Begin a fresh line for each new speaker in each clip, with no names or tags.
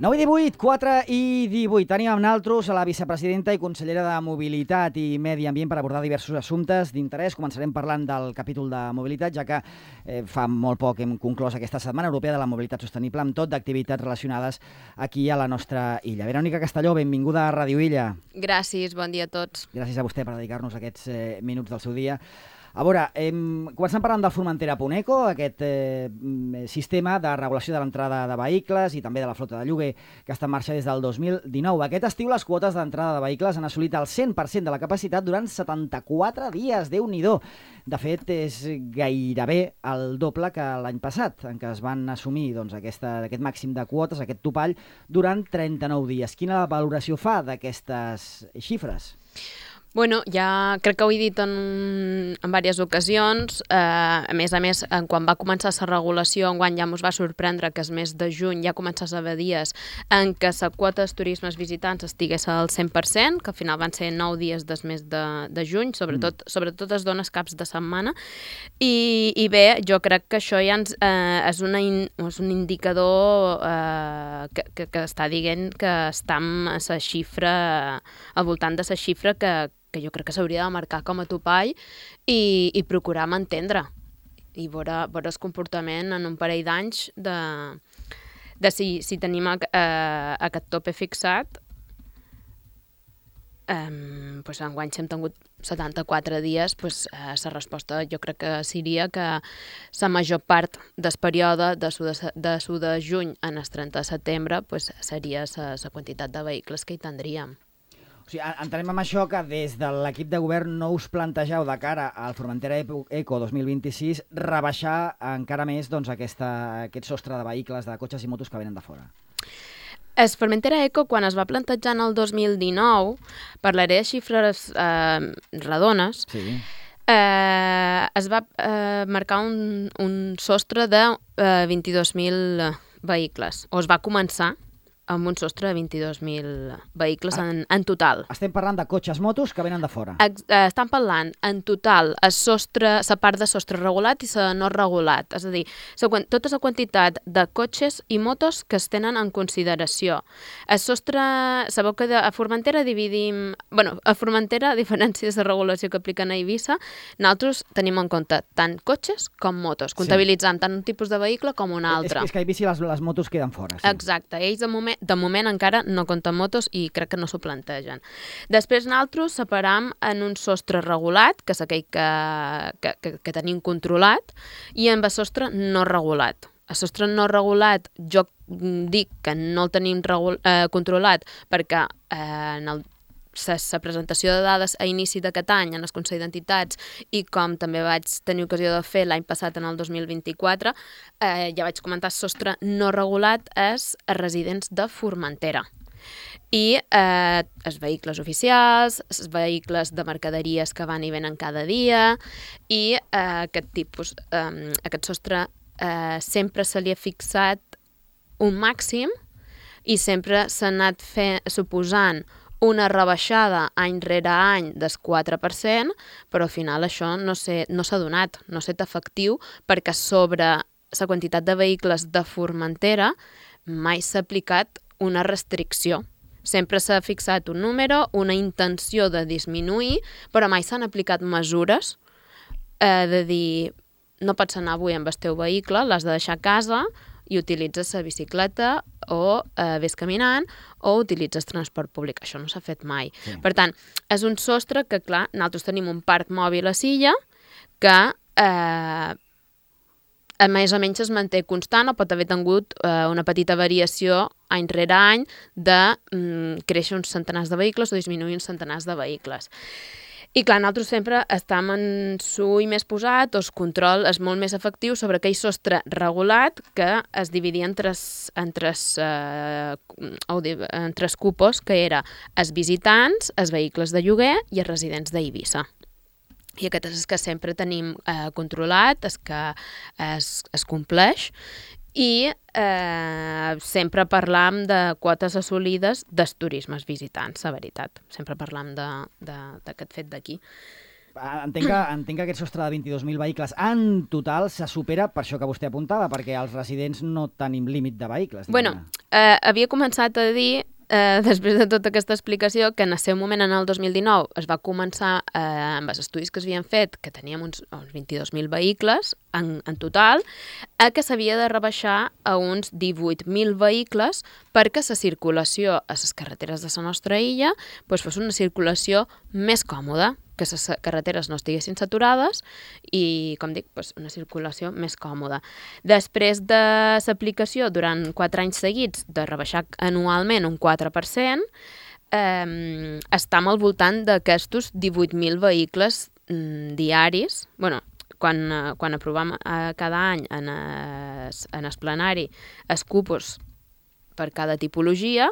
9:18, 4:18. Tenim amb nosaltres a la vicepresidenta i consellera de Mobilitat i Medi Ambient per abordar diversos assumptes d'interès. Començarem parlant del capítol de mobilitat, ja que fa molt poc hem conclòs aquesta Setmana Europea de la Mobilitat Sostenible amb tot d'activitats relacionades aquí a la nostra illa. Verònica Castelló, benvinguda a Ràdio Illa.
Gràcies, bon dia a tots.
Gràcies a vostè per dedicar-nos aquests minuts del seu dia. A veure, començant parlant del Formentera.eco, aquest sistema de regulació de l'entrada de vehicles i també de la flota de lloguer que està en marxa des del 2019. Aquest estiu les quotes d'entrada de vehicles han assolit el 100% de la capacitat durant 74 dies. Déu-n'hi-do! De fet, és gairebé el doble que l'any passat, en què es van assumir aquest màxim de quotes, aquest topall, durant 39 dies. Quina valoració fa d'aquestes xifres?
Bueno, ja crec que ho he dit en diverses ocasions. A més, quan va començar la regulació, enguany ja ens va sorprendre que el mes de juny ja començés a haver dies en què la quota de turismes visitants estigués al 100%, que al final van ser 9 dies del mes de juny, sobretot es dona caps de setmana. I bé, jo crec que això ja és un indicador que està dient que està amb la xifra, al voltant de la xifra que jo crec que s'hauria de marcar com a topall i procurar mantendre i veure el comportament en un parell d'anys de si tenim aquest tope fixat. Enguany si hem tingut 74 dies, la resposta jo crec que seria que la major part del període de juny en el 30 de setembre seria la quantitat de vehicles que hi tindríem.
O sigui, entenem amb això que des de l'equip de govern no us plantegeu de cara al Formentera.eco 2026 rebaixar encara més aquest sostre de vehicles, de cotxes i motos que venen de fora.
El Formentera.eco, quan es va plantejar en el 2019, parlaré de xifres redones,
sí.
Es va marcar un sostre de 22.000 vehicles, o es va començar amb un sostre de 22.000 vehicles en total.
Estem parlant de cotxes, motos que venen de fora.
Estem parlant en total la part de sostre regulat i la no regulat. És a dir, tota la quantitat de cotxes i motos que es tenen en consideració. El sostre, sabeu que a Formentera dividim... a Formentera, a diferència de la regulació que apliquen a Eivissa, nosaltres tenim en compte tant cotxes com motos, comptabilitzant tant un tipus de vehicle com un altre.
És que a Eivissa les motos queden fora. Sí.
Exacte. Ells de moment encara no compten motos i crec que no s'ho plantegen. Després nosaltres separam en un sostre regulat, que és aquell que tenim controlat, i en el sostre no regulat. El sostre no regulat jo dic que no el tenim controlat perquè en la presentació de dades a inici d'aquest any en el Consell d'Entitats i com també vaig tenir ocasió de fer l'any passat en el 2024, ja vaig comentar el sostre no regulat és a residents de Formentera. I els vehicles oficials, els vehicles de mercaderies que van i venen cada dia i aquest sostre sempre se li ha fixat un màxim i sempre s'ha anat suposant una rebaixada any rere any del 4%, però al final això no s'ha donat, no s'ha estat efectiu perquè sobre la quantitat de vehicles de Formentera mai s'ha aplicat una restricció. Sempre s'ha fixat un número, una intenció de disminuir, però mai s'han aplicat mesures de dir no pots anar avui amb el teu vehicle, l'has de deixar a casa i utilitzes la bicicleta o ves caminant o utilitzes transport públic. Això no s'ha fet mai. Sí. Per tant, és un sostre que, clar, nosaltres tenim un parc mòbil a Silla que més o menys es manté constant o pot haver tingut una petita variació any rere any de créixer uns centenars de vehicles o disminuir uns centenars de vehicles. I clar, nosaltres sempre estem en l'ull més posat, el control és molt més efectiu sobre aquell sostre regulat que es dividia en tres cupos, que era els visitants, els vehicles de lloguer i els residents d'Eivissa. I aquest és el que sempre tenim controlat, el que es compleix, i sempre parlam de quotes assolides dels turismes visitants, la veritat. Sempre parlam d'aquest fet d'aquí.
Entenc que aquest sostre de 22.000 vehicles en total se supera per això que vostè apuntava, perquè els residents no tenim límit de vehicles.
Bueno, havia començat a dir, després de tota aquesta explicació, que en el seu moment, en el 2019, es va començar amb els estudis que s'havien fet, que teníem uns 22.000 vehicles en total, que s'havia de rebaixar a uns 18.000 vehicles perquè la circulació a les carreteres de la nostra illa fos una circulació més còmoda, que les carreteres no estiguessin saturades i, com dic, una circulació més còmoda. Després de l'aplicació durant 4 anys seguits de rebaixar anualment un 4%, estem al voltant d'aquestos 18.000 vehicles diaris. Bueno, quan aprovem cada any en el plenari els cupos per cada tipologia,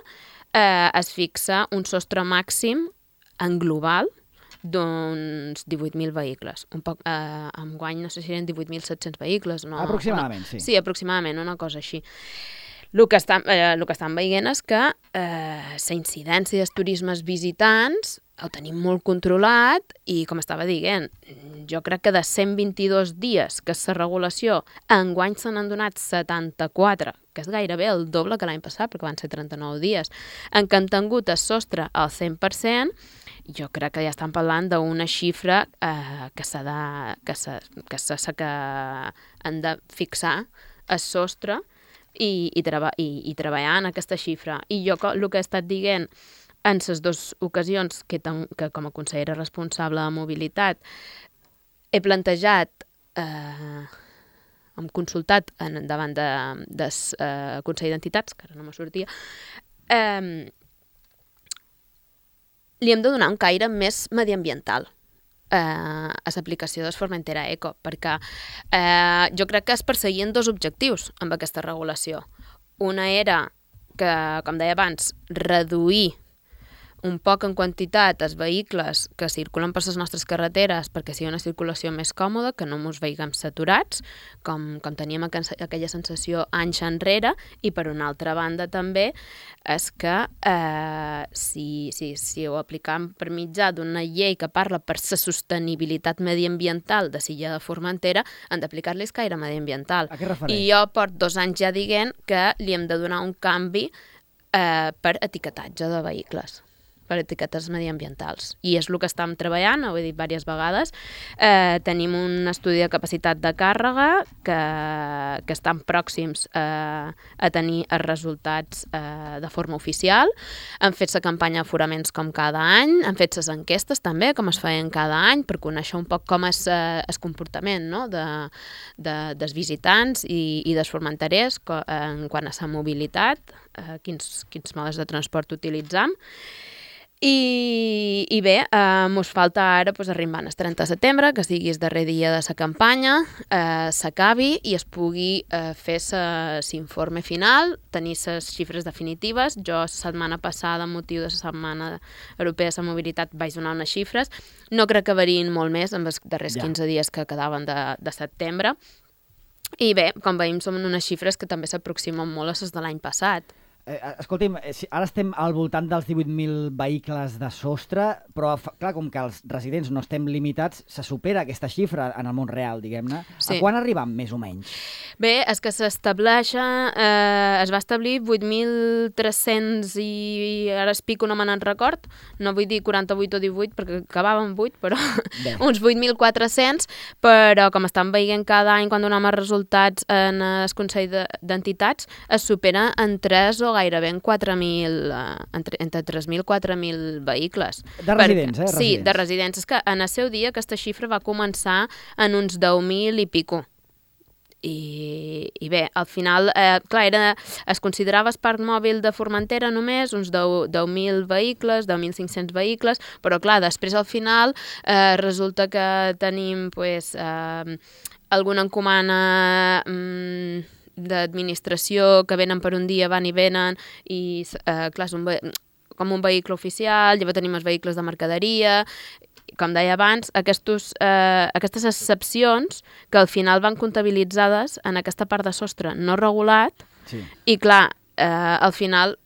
es fixa un sostre màxim en global d'uns 18.000 vehicles. Enguany no sé si eren 18.700 vehicles. No,
aproximadament, sí.
Sí, aproximadament, una cosa així. El que estan veient és que la incidència dels turismes visitants ho tenim molt controlat i, com estava dient, jo crec que de 122 dies que és la regulació, enguany se n'han donat 74, que és gairebé el doble que l'any passat, perquè van ser 39 dies, en què han tingut el sostre al 100%. Jo crec que ja estan parlant d'una xifra que han de fixar el sostre i treballar en aquesta xifra. I jo el que he estat dient en les dues ocasions que com a consellera responsable de mobilitat he plantejat, hem consultat davant del Consell d'Entitats, que ara no me sortia, li hem de donar un caire més mediambiental a l'aplicació de Formentera Eco, perquè jo crec que es perseguien 2 objectius amb aquesta regulació. Una era que, com deia abans, reduir un poc en quantitat els vehicles que circulen per les nostres carreteres perquè sigui una circulació més còmoda, que no ens veiem saturats, com teníem aquella sensació anys enrere, i per una altra banda també és que si ho aplicam per mitjà d'una llei que parla per la sostenibilitat mediambiental de l'illa de Formentera, han d'aplicar-li el caire mediambiental.
A què refereix?
I jo porto 2 anys ja dient que li hem de donar un canvi per etiquetatge de vehicles, per etiquetes mediambientals. I és el que estem treballant, ho he dit diverses vegades. Tenim un estudi de capacitat de càrrega que estan pròxims a tenir els resultats de forma oficial. Han fet la campanya d'aforaments com cada any, han fet les enquestes també, com es feien cada any, per conèixer un poc com és el comportament, no?, dels visitants i dels formenterers en quant a la mobilitat, quins modes de transport utilitzam. I bé, mos falta ara arribar al 30 de setembre, que sigui el darrer dia de la campanya, s'acabi i es pugui fer l'informe final, tenir les xifres definitives. Jo la setmana passada, amb motiu de la Setmana Europea de la Mobilitat, vaig donar unes xifres. No crec que variïn molt més en els darrers 15 dies que quedaven de setembre. I bé, com veiem, són unes xifres que també s'aproximen molt a les de l'any passat.
Escolti'm, ara estem al voltant dels 18.000 vehicles de sostre, però clar, com que els residents no estem limitats, se supera aquesta xifra en el món real, diguem-ne. Sí. A quan arribem, més o menys?
Bé, és que s'estableix, es va establir 8.300 i ara es pico, no me n'en record, no vull dir 48 o 18 perquè acabàvem 8, però uns 8.400, però com estan veient cada any quan donem els resultats en el Consell d'Entitats, es supera en 3 o gairebé en 4.000, entre 3.000 i 4.000 vehicles.
De residents, residents.
Sí, de residents. És que en el seu dia aquesta xifra va començar en uns 10.000 i pico. I bé, al final, clar, es considerava el parc mòbil de Formentera només uns 10.000 vehicles, 10.500 vehicles, però clar, després al final resulta que tenim alguna encomana d'administració que venen per un dia, van i venen, i clar, és com un vehicle oficial, llavors tenim els vehicles de mercaderia. Com deia abans, aquestes excepcions que al final van comptabilitzades en aquesta part de sostre no regulat, sí. I clar, al final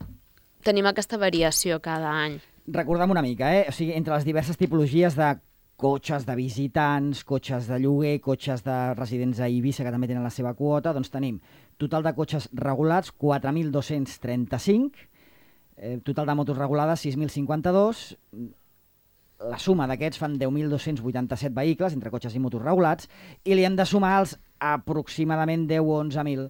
tenim aquesta variació cada any.
Recordem una mica, o sigui, entre les diverses tipologies de cotxes de visitants, cotxes de lloguer, cotxes de residents a Eivissa, que també tenen la seva quota. Doncs tenim total de cotxes regulats, 4.235, total de motos regulades, 6.052, la suma d'aquests fan 10.287 vehicles, entre cotxes i motos regulats, i li hem de sumar els aproximadament 10 o 11.000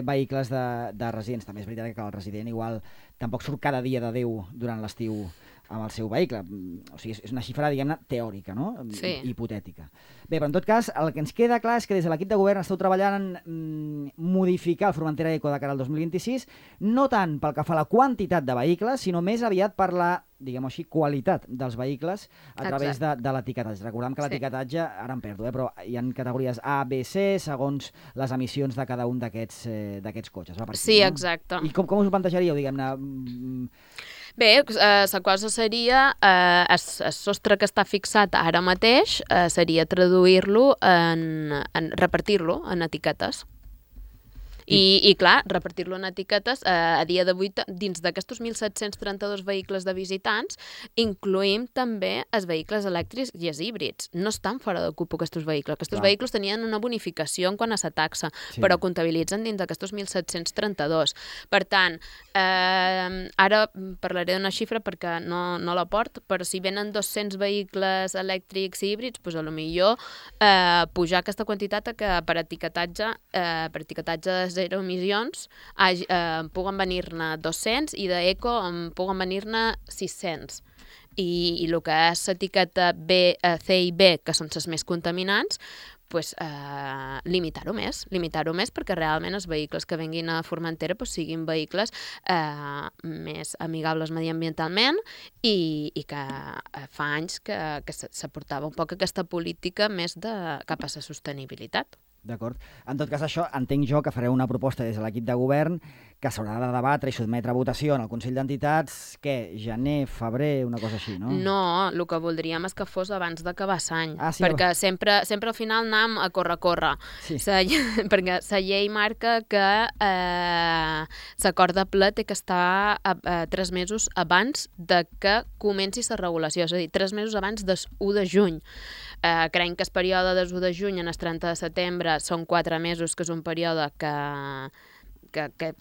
vehicles de residents. També és veritat que el resident igual tampoc surt cada dia de Déu durant l'estiu amb el seu vehicle. O sigui, és una xifra, diguem-ne, teòrica, no?
Sí.
Hipotètica. Bé, però en tot cas, el que ens queda clar és que des de l'equip de govern esteu treballant en modificar el Formentera Eco de cara al 2026, no tant pel que fa a la quantitat de vehicles, sinó més aviat per la, diguem-ho així, qualitat dels vehicles a través de l'etiquetatge. Recordem que l'etiquetatge, ara em perdo, però hi ha categories A, B, C, segons les emissions de cada un d'aquests cotxes. Va per aquí,
Sí,
no?
exacte.
I com us ho plantejaríeu, diguem-ne?
Bé, la cosa seria, el sostre que està fixat ara mateix seria traduir-lo repartir-lo en etiquetes. I clar, repartir-lo en etiquetes, a dia d'avui, dins d'aquests 1.732 vehicles de visitants, incloïm també els vehicles elèctrics i els híbrids. No estan fora de cupo aquests vehicles. Aquests vehicles tenien una bonificació en quant a la taxa, però comptabilitzen dins d'aquests 1.732. Per tant, ara parlaré d'una xifra perquè no la porto, però si venen 200 vehicles elèctrics i híbrids, doncs potser pujar aquesta quantitat que per etiquetatge de zero emissions puguen venir-ne 200 i d'eco puguen venir-ne 600. I el que és l'etiqueta B, C i B, que són les més contaminants, pues, limitar-ho més perquè realment els vehicles que venguin a Formentera siguin vehicles més amigables mediambientalment i que fa anys que s'aportava un poc aquesta política més cap a la sostenibilitat.
D'acord. En tot cas, això entenc jo que fareu una proposta des de l'equip de govern que s'haurà de debatre i sotmetre a votació en el Consell d'Entitats, gener, febrer, una cosa així, no?
No, el que voldríem és que fos abans d'acabar l'any,
sí,
perquè sempre al final anem a córrer. Sí. Perquè la llei marca que l'acord de ple té que estar 3 mesos abans de que comenci la regulació, és a dir, 3 mesos abans del 1 de juny. Creiem que el període del 1 de juny en el 30 de setembre són 4 mesos, que és un període que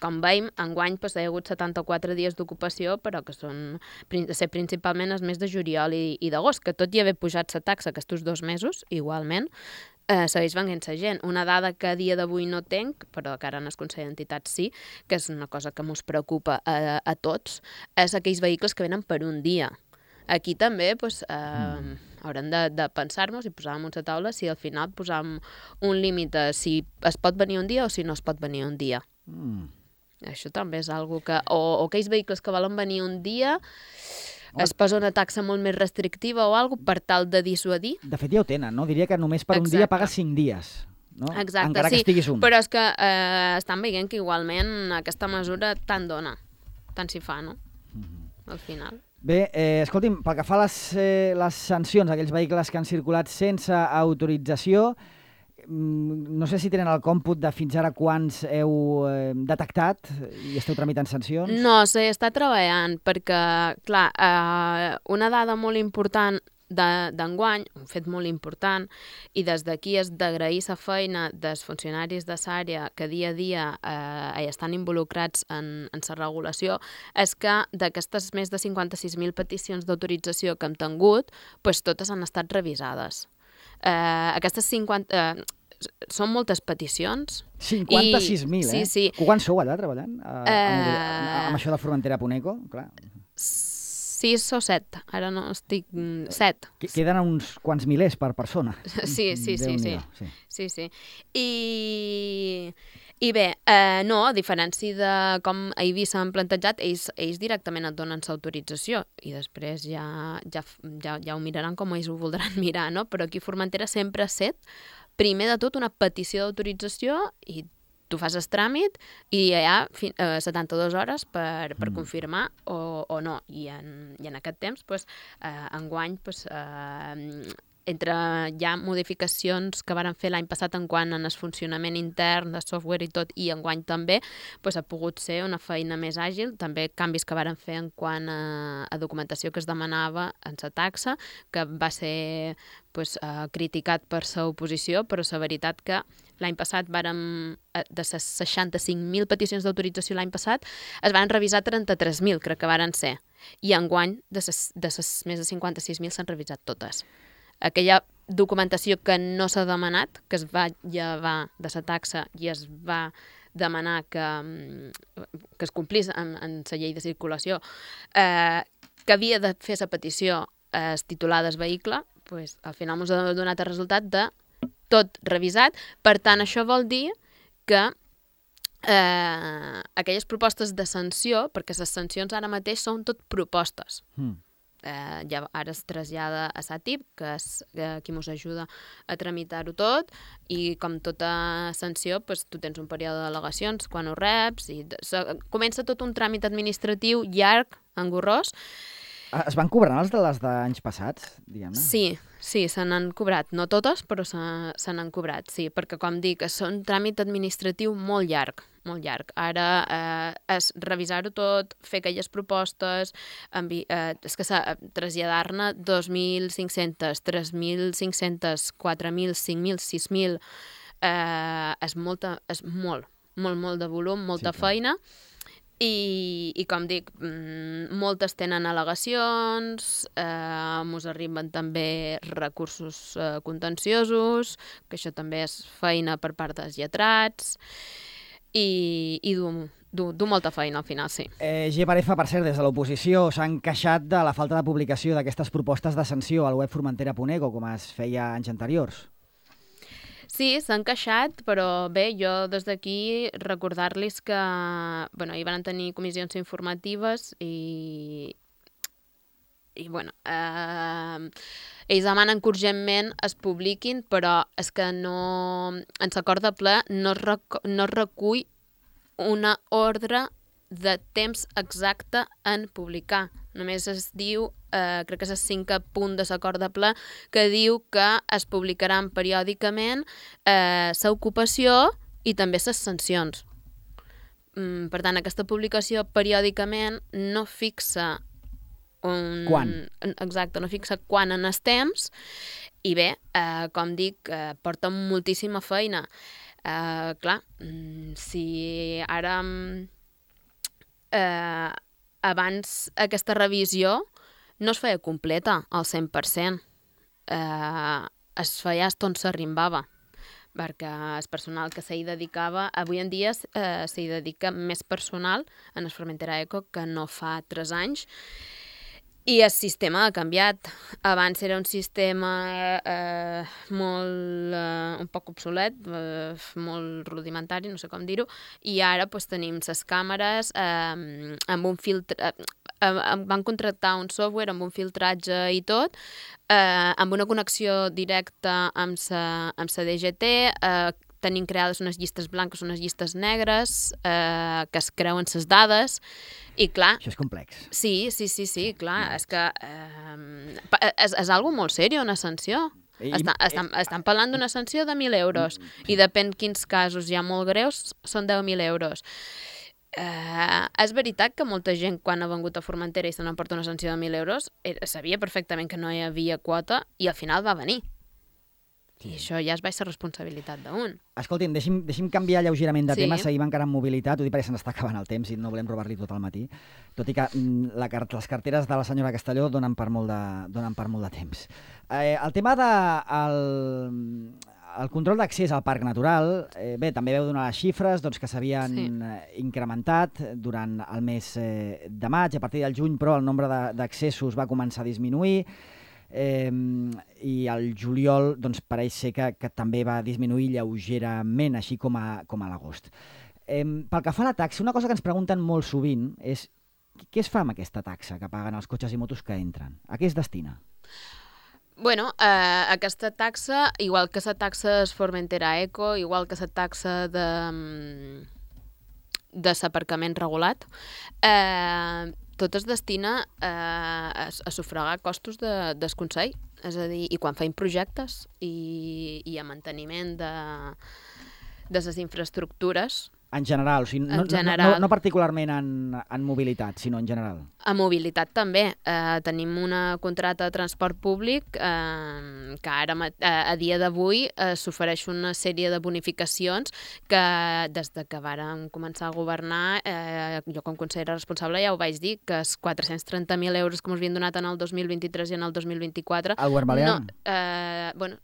com veiem, enguany hi ha hagut 74 dies d'ocupació, però que són principalment els mesos de juliol i d'agost, que tot i haver pujat la taxa aquests 2 mesos, igualment, segueix venint la gent. Una dada que a dia d'avui no tenc, però que ara en el Consell d'Entitats sí, que és una cosa que ens preocupa a tots, és aquells vehicles que venen per un dia. Aquí també haurem de pensar-nos i posar damunt la taula si al final posam un límit a si es pot venir un dia o si no es pot venir un dia. Això també és algo que... O aquells vehicles que volen venir un dia es posa una taxa molt més restrictiva o alguna per tal de dissuadir.
De fet, ja ho tenen, no? Diria que només per un dia pagues 5 dies. No?
Exacte,
encara que estiguis un.
Però és que estan veient que igualment aquesta mesura tant dona, tant s'hi fa, no? Al final.
Bé, escolti'm, pel que fa a les sancions a aquells vehicles que han circulat sense autorització, no sé si tenen el còmput de fins ara quants heu detectat i esteu tramitant sancions.
No, s'està treballant perquè, clar, una dada molt important d'enguany, un fet molt important, i des d'aquí és d'agrair la feina dels funcionaris de l'àrea que dia a dia estan involucrats en la regulació, és que d'aquestes més de 56.000 peticions d'autorització que hem tingut, totes han estat revisades. Aquestes 50... són moltes peticions.
56.000,
Sí, sí.
Quants sou allà treballant amb això de Formentera Puneco? Clar.
6 o 7, ara no estic... 7.
Queden uns quants milers per persona.
Sí. I bé, no, a diferència de com a Eivissa han plantejat, ells directament et donen l'autorització i després ja ho miraran com ells ho voldran mirar, no? Però aquí a Formentera sempre ha set, primer de tot, una petició d'autorització i tu fas el tràmit i hi ha 72 hores per confirmar o no. I en aquest temps, enguany, entre hi ha modificacions que varen fer l'any passat en quant en el funcionament intern de software i tot, i enguany també, doncs ha pogut ser una feina més àgil, també canvis que varen fer en quant a documentació que es demanava en la taxa, que va ser criticat per la oposició, però la veritat que l'any passat vàrem, de les 65.000 peticions d'autorització l'any passat, es van revisar 33.000, crec que varen ser, i enguany de les més de 56.000 s'han revisat totes. Aquella documentació que no s'ha demanat, que es va llevar de la taxa i es va demanar que es complís en la llei de circulació, que havia de fer la petició titular del vehicle, doncs, al final ens ha donat el resultat de tot revisat. Per tant, això vol dir que aquelles propostes de sanció, perquè les sancions ara mateix són tot propostes, ja ara es trasllada a SATIP, que és qui ens ajuda a tramitar-ho tot, i com tota sanció, doncs, tu tens un període d'al·legacions quan ho reps, i comença tot un tràmit administratiu llarg, engorrós.
Es van cobrant les d'anys passats, diguem-ne?
Sí, se n'han cobrat. No totes, però se n'han cobrat, sí, perquè, com dic, és un tràmit administratiu molt llarg, molt llarg. Ara és revisar-ho tot, fer aquelles propostes, és que traslladar-ne 2.500, 3.500, 4.000, 5.000, 6.000, és molt de volum, molta feina. I com dic, moltes tenen al·legacions, ens arriben també recursos contenciosos, que això també és feina per part dels lletrats, i du molta feina al final, sí.
GPRF, per cert, des de l'oposició s'han queixat de la falta de publicació d'aquestes propostes de sanció al web formentera.eco, com es feia anys anteriors.
Sí, s'han queixat, però bé, jo des d'aquí recordar-los que hi van tenir comissions informatives i ells demanen que urgentment es publiquin, però és que no, en l'acord de ple no es recull una ordre de temps exacte en publicar. Només es diu, crec que és el 5è punt de l'acord de ple, que diu que es publicaran periòdicament l'ocupació i també les sancions. Per tant, aquesta publicació periòdicament no fixa
quan?
Exacte, no fixa quan en el temps, i bé, com dic, porta moltíssima feina. Clar, si ara abans aquesta revisió no es feia completa al 100%, es feia on s'arrimbava, perquè el personal que s'hi dedicava, avui en dia s'hi dedica més personal en el Formentera Eco que no fa 3 anys, i el sistema ha canviat. Abans era un sistema un poc obsolet, molt rudimentari, no sé com dir-ho, i ara tenim les càmeres amb un filtre, van contractar un software amb un filtratge i tot, amb una connexió directa amb la DGT, tenim creades unes llistes blanques, unes llistes negres, que es creuen les dades, i clar...
Això és complex.
Sí, clar, és que és algo molt seriós, una sanció. Estan parlant d'una sanció de 1.000 euros, i depèn quins casos hi ha molt greus, són 10.000 euros. És veritat que molta gent, quan ha vengut a Formentera i se n'emporta una sanció de 1.000 euros, sabia perfectament que no hi havia quota, i al final va venir. I això ja es va ser responsabilitat d'un.
Escolti'm, deixi'm canviar lleugerament de tema, seguim encara en mobilitat, ho dic perquè se n'està acabant el temps i no volem robar-li tot el matí, tot i que les carteres de la senyora Castelló donen per molt de temps. El tema del control d'accés al Parc Natural, bé, també veu donar les xifres que s'havien incrementat durant el mes de maig, a partir del juny, però el nombre d'accessos va començar a disminuir, i el juliol pareix ser que també va disminuir lleugerament, així com a l'agost. Pel que fa a la taxa, una cosa que ens pregunten molt sovint és què es fa amb aquesta taxa que paguen els cotxes i motos que entren? A què es destina?
Bueno, aquesta taxa, igual que la taxa es Formentera Eco, igual que la taxa de l'aparcament regulat, tot es destina a sufragar costos del Consell. És a dir, i quan feim projectes i a manteniment de les infraestructures.
En general, o sigui, no particularment en mobilitat, sinó en general.
A mobilitat també. Tenim una contracta de transport públic que ara, a dia d'avui, s'ofereix una sèrie de bonificacions que des de que vàrem començar a governar, jo com consellera responsable ja ho vaig dir, que els 430.000 euros que ens havien donat en el 2023 i en el 2024...
El govern balear?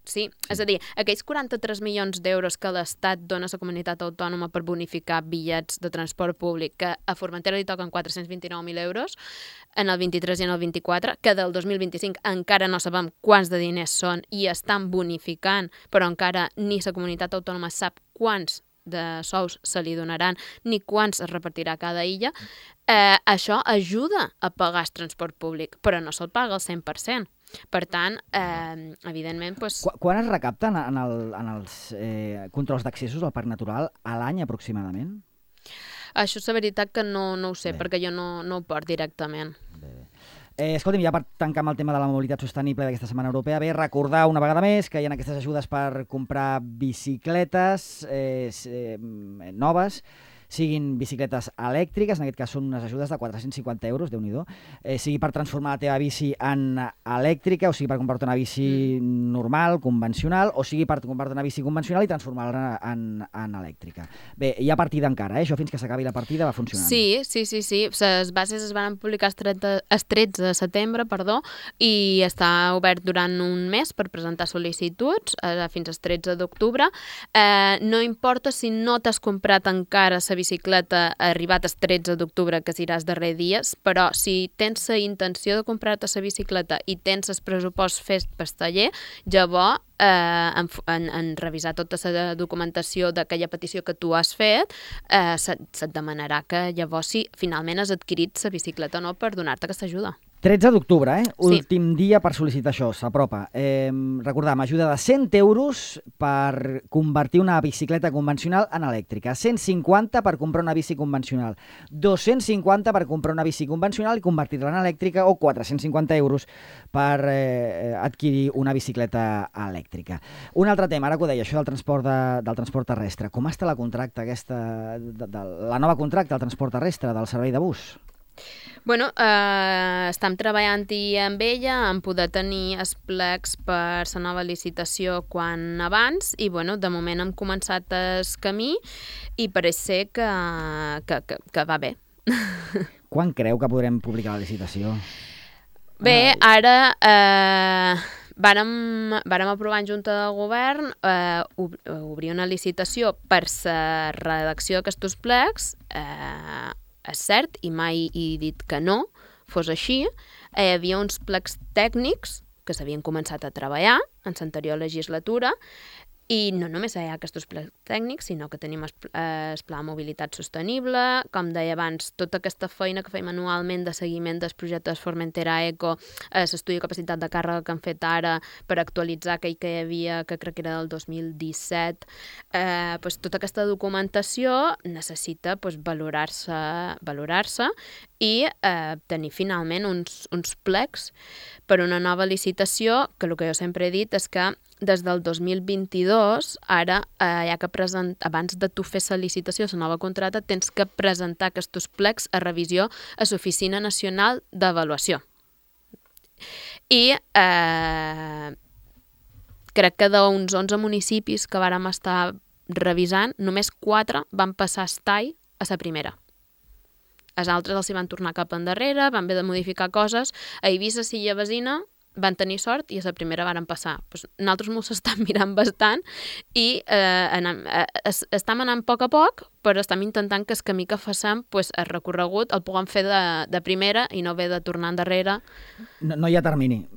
Sí. És a dir, aquells 43 milions d'euros que l'Estat dona a la comunitat autònoma per bonificar bitllets de transport públic, que a Formentera li toquen 429.000 euros, en el 23 i en el 24, que del 2025 encara no sabem quants de diners són i estan bonificant, però encara ni la comunitat autònoma sap quants de sous se li donaran ni quants es repartirà a cada illa, això ajuda a pagar el transport públic, però no se'l paga al 100%. Per tant, evidentment...
Quan es recapten en els controls d'accessos al Parc Natural a l'any aproximadament?
Això és la veritat que no ho sé, perquè jo no ho porto directament.
Escolti'm, ja per tancar amb el tema de la mobilitat sostenible d'aquesta Setmana Europea, recordar una vegada més que hi ha aquestes ajudes per comprar bicicletes noves, siguin bicicletes elèctriques, en aquest cas són unes ajudes de 450 euros, Déu-n'hi-do, sigui per transformar la teva bici en elèctrica, o sigui per comprar-te una bici normal, convencional, o sigui per comprar-te una bici convencional i transformar-la en elèctrica. Bé, hi ha partida encara, això fins que s'acabi la partida va funcionant.
Sí. Les bases es van publicar el 13 de setembre, i està obert durant un mes per presentar sol·licituds fins al 13 d'octubre. No importa si no t'has comprat encara la bicicleta arribat el 13 d'octubre, que serà els darrers dies, però si tens la intenció de comprar-te la bicicleta i tens el pressupost fet pel taller, llavors en revisar tota la documentació d'aquella petició que tu has fet, se't demanarà que llavors si finalment has adquirit la bicicleta o no per donar-te aquesta ajuda.
13 d'octubre, últim
Sí.
dia per sol·licitar això, s'apropa. Recordem, ajuda de 100 euros per convertir una bicicleta convencional en elèctrica, 150 per comprar una bici convencional, 250 per comprar una bici convencional i convertir-la en elèctrica, o 450 euros per adquirir una bicicleta elèctrica. Un altre tema, ara que ho deia, això del transport terrestre. Com està la contracta aquesta, la nova contracta del transport terrestre, del servei de bus?
Bueno, estem treballant-hi amb ella, en poder tenir els plecs per la nova licitació quan abans, i de moment hem començat el camí i pareix ser que va bé.
Quan creu que podrem publicar la licitació?
Bé, ara vàrem aprovar en Junta de Govern obrir una licitació per la redacció d'aquests plecs. És cert, i mai he dit que no fos així. Hi havia uns plecs tècnics que s'havien començat a treballar en l'anterior legislatura, i no només hi ha aquests plecs tècnics, sinó que tenim el Pla de Mobilitat Sostenible, com deia abans, tota aquesta feina que fem anualment de seguiment dels projectes Formentera Eco, l'estudi de capacitat de càrrega que han fet ara per actualitzar aquell que hi havia, que crec que era del 2017. Tota aquesta documentació necessita valorar-se i tenir finalment uns plecs per una nova licitació, que el que jo sempre he dit és que des del 2022, ara hi ha que presentar, abans de tu fer la licitació, la nova contracta, tens que presentar aquests plecs a revisió a l'Oficina Nacional d'Avaluació. I crec que d'uns 11 municipis que vàrem estar revisant, només 4 van passar el tall a la primera. Els altres els hi van tornar cap endarrere, van haver de modificar coses. A Eivissa, Silla Vecina, van tenir sort i a la primera varen passar. Nosaltres mos estem mirant bastant i estem anant a poc, però estem intentant que el camí que facem, el recorregut, el puguem fer de primera i no haver de tornar endarrere.
No hi ha termini.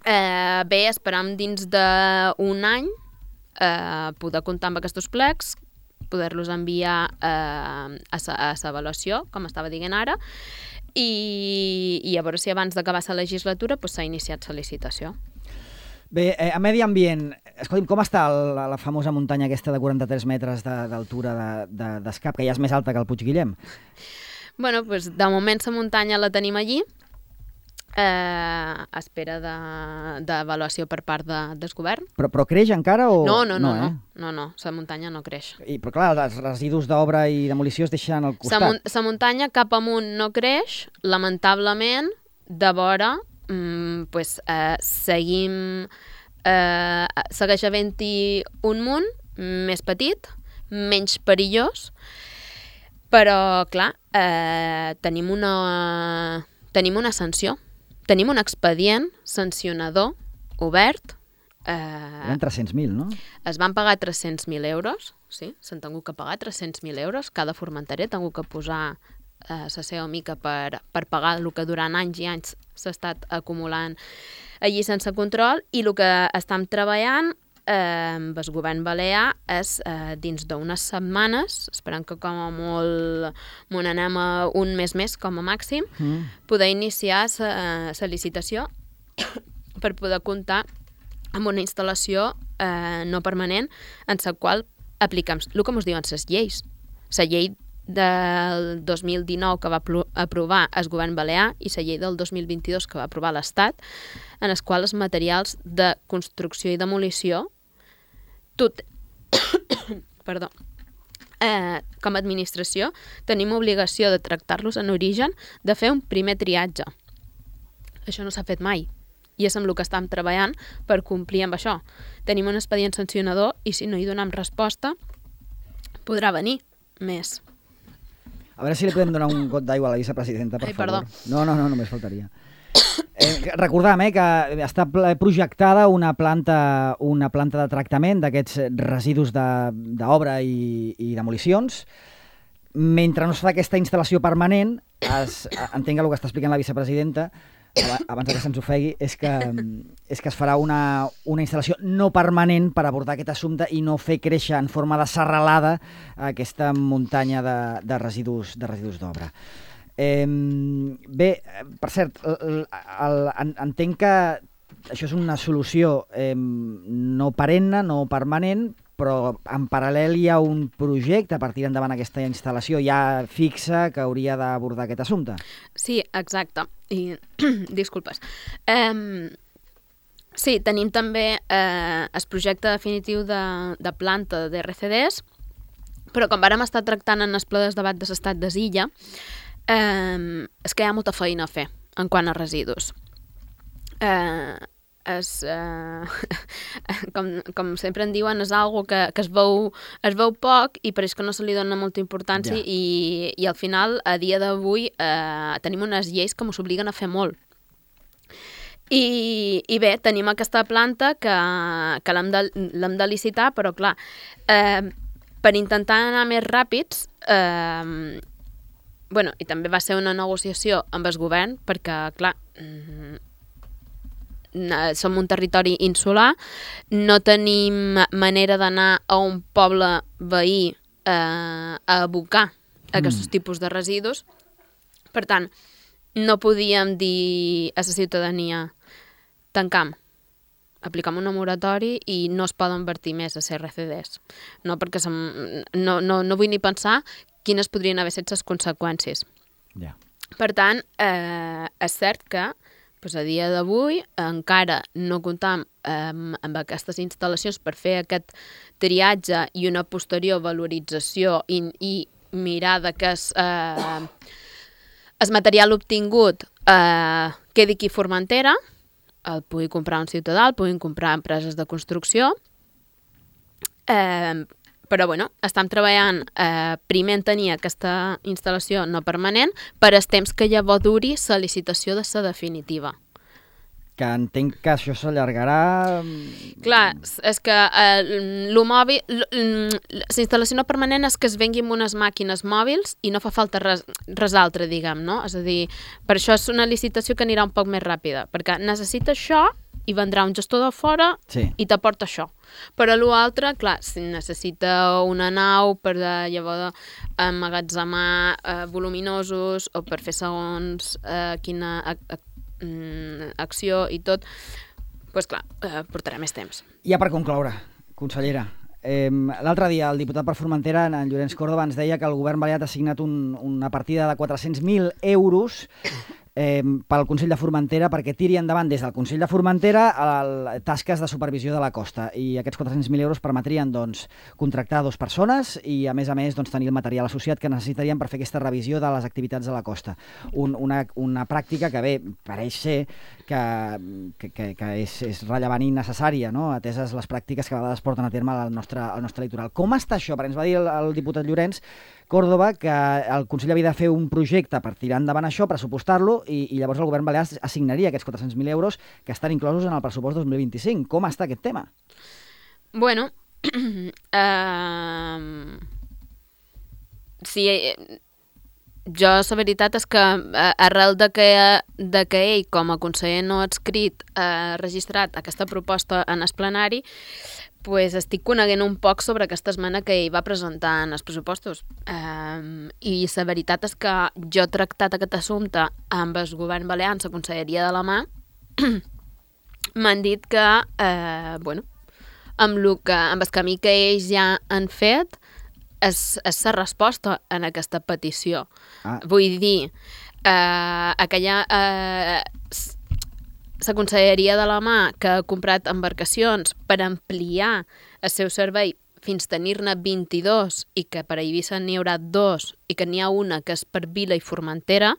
Bé, esperam dins d'un any poder comptar amb aquests plecs, poder-los enviar a l'avaluació, com estava dient ara, i a veure si abans d'acabar la legislatura s'ha iniciat la licitació.
Bé, a medi ambient, escolti'm, com està la famosa muntanya aquesta de 43 metres d'altura d'Escap, que ja és més alta que el Puig Guillem?
Bueno, de moment la muntanya la tenim allí. espera d'avaluació per part del govern.
Però creix encara o...?
No, la muntanya no creix.
Però clar, els residus d'obra i demolició es deixen al costat.
La muntanya cap amunt no creix, lamentablement, de vora, segueix havent-hi un munt més petit, menys perillós, però, clar, tenim una sanció. Tenim un expedient sancionador obert.
Eren 300.000, no?
Es van pagar 300.000 euros, sí, s'han tingut que pagar 300.000 euros. Cada formenterer ha tingut que posar la seva mica per pagar el que durant anys i anys s'ha estat acumulant allí sense control, i el que estem treballant amb el govern balear és dins d'unes setmanes, esperant que com a molt m'ho anem a un mes més com a màxim, poder iniciar la licitació per poder comptar amb una instal·lació no permanent en la qual apliquem el que ens diuen les lleis. La llei del 2019 que va aprovar el govern balear i la llei del 2022 que va aprovar l'Estat, en els quals els materials de construcció i demolició perdó, com a administració tenim obligació de tractar-los en origen, de fer un primer triatge. Això no s'ha fet mai i és amb el que estem treballant per complir amb això. Tenim un expedient sancionador i si no hi donem resposta podrà venir més.
A veure si li podem donar un got d'aigua a la vicepresidenta, per favor.
Perdó.
No, només faltaria. Recordam que està projectada una planta de tractament d'aquests residus d'obra i demolicions. Mentre no es fa aquesta instal·lació permanent, entenc que el que està explicant la vicepresidenta, abans que se'ns ofegui, és que es farà una instal·lació no permanent per abordar aquest assumpte i no fer créixer en forma de serralada aquesta muntanya de residus d'obra. Bé, per cert, entenc que això és una solució no perenne, no permanent, però en paral·lel hi ha un projecte per tirar endavant aquesta instal·lació ja fixa que hauria d'abordar aquest assumpte.
Sí, exacte. I disculpes. Sí, tenim també el projecte definitiu de planta d'RCDs, però com vàrem estar tractant en el ple de debat de l'estat de Silla, és que hi ha molta feina a fer en quant a residus. Com sempre en diuen, és algo que es veu poc i pareix que no se li dona molta importància i al final, a dia d'avui, tenim unes lleis que ens obliguen a fer molt. I bé, tenim aquesta planta que l'hem de licitar, però clar, per intentar anar més ràpids, i també va ser una negociació amb el govern, perquè, clar, som un territori insular, no tenim manera d'anar a un poble veí a abocar aquests tipus de residus. Per tant, no podíem dir a la ciutadania tancam, aplicam una moratori i no es poden vertir més a CRCDs. No, perquè no vull ni pensar quines podrien haver estat les conseqüències. Per tant, és cert que a dia d'avui encara no comptam amb aquestes instal·lacions per fer aquest triatge i una posterior valorització i mirar que el material obtingut quedi aquí a Formentera, el pugui comprar un ciutadà, el puguin comprar empreses de construcció, però estem treballant primer en tenir aquesta instal·lació no permanent per el temps que llavors duri la licitació de la definitiva.
Que entenc que això s'allargarà...
Clar, és que la instal·lació no permanent és que es vengui amb unes màquines mòbils i no fa falta res altre, diguem, no? És a dir, per això és una licitació que anirà un poc més ràpida, perquè necessita això i vendrà un gestor de fora i t'aporta això. Però l'altre, clar, si necessita una nau per llavors emmagatzemar voluminosos o per fer segons quina acció i tot, doncs clar, portarà més temps.
Ja per concloure, consellera, l'altre dia el diputat per Formentera, en Llorenç Córdoba, ens deia que el govern balear ha assignat una partida de 400.000 euros pel Consell de Formentera perquè tiri endavant des del Consell de Formentera tasques de supervisió de la costa, i aquests 400.000 euros permetrien contractar 2 persones i a més tenir el material associat que necessitarien per fer aquesta revisió de les activitats de la costa. Una pràctica que pareix ser que és rellevant i necessària, no? Ateses les pràctiques que a vegades porten a terme al nostre litoral. Com està això? Perquè ens va dir el diputat Llorenç Córdoba que el Consell havia de fer un projecte per tirar endavant això, pressupostar-lo, i llavors el govern balear assignaria aquests 400.000 euros que estan inclosos en el pressupost 2025. Com està aquest tema?
Bueno, sí, jo la veritat és que arrel de que ell com a conseller no adscrit ha registrat aquesta proposta en el plenari, pues estic coneguent un poc sobre aquesta esmena que ell va presentar en els pressupostos. I la veritat és que jo he tractat aquest assumpte amb el govern balear, la Conselleria de la Mà. M'han dit que, amb el camí que ells ja han fet, és la resposta en aquesta petició. Vull dir, la Conselleria de la Mà, que ha comprat embarcacions per ampliar el seu servei fins tenir-ne 22 i que per a Eivissa n'hi haurà 2 i que n'hi ha una que és per Vila i Formentera,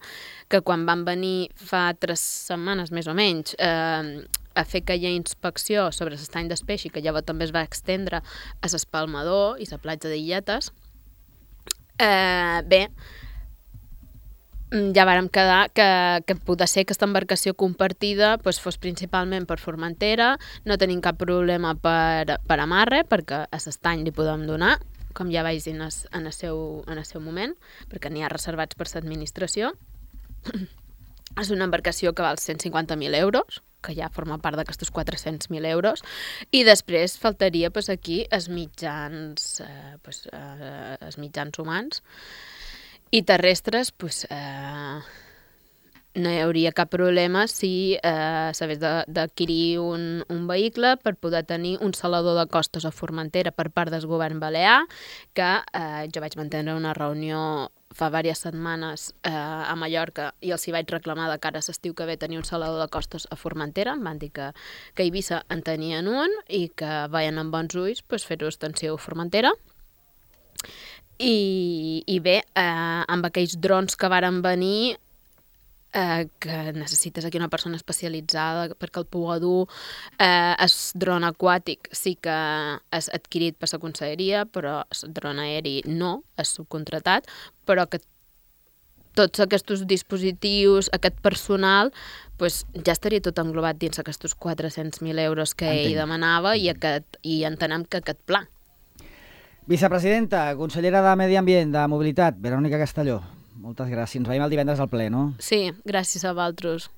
que quan van venir fa 3 setmanes més o menys a fer aquella inspecció sobre l'estany d'Espeix i que llavors també es va extendre a l'Espalmador i la platja d'Illetes, ja vàrem quedar que poder ser que aquesta embarcació compartida fos principalment per Formentera. No tenim cap problema per amarre, perquè a l'estany li podem donar, com ja vaig dir en el seu moment, perquè n'hi ha reservats per l'administració. És una embarcació que val 150.000 euros, que ja forma part d'aquestos 400.000 euros, i després faltaria aquí els mitjans humans i terrestres. No hi hauria cap problema si s'hagués d'adquirir un vehicle per poder tenir un salador de costes a Formentera per part del govern balear, que jo vaig mantenir una reunió fa diverses setmanes a Mallorca i els hi vaig reclamar de cara a l'estiu que ve tenir un salador de costes a Formentera. Em van dir que a Eivissa en tenien un i que veien amb bons ulls fer-ho extensiu a Formentera. I bé, amb aquells drons que varen venir, que necessites aquí una persona especialitzada perquè el pugui dur, el dron aquàtic sí que és adquirit per la conselleria, però el dron aeri no, és subcontratat, però que tots aquests dispositius, aquest personal, ja estaria tot englobat dins aquests 400.000 euros que ell demanava i entenem que aquest pla.
Vicepresidenta, consellera de Medi Ambient, de Mobilitat, Verònica Castelló, moltes gràcies. Ens veiem el divendres al ple, no?
Sí, gràcies a vosaltres.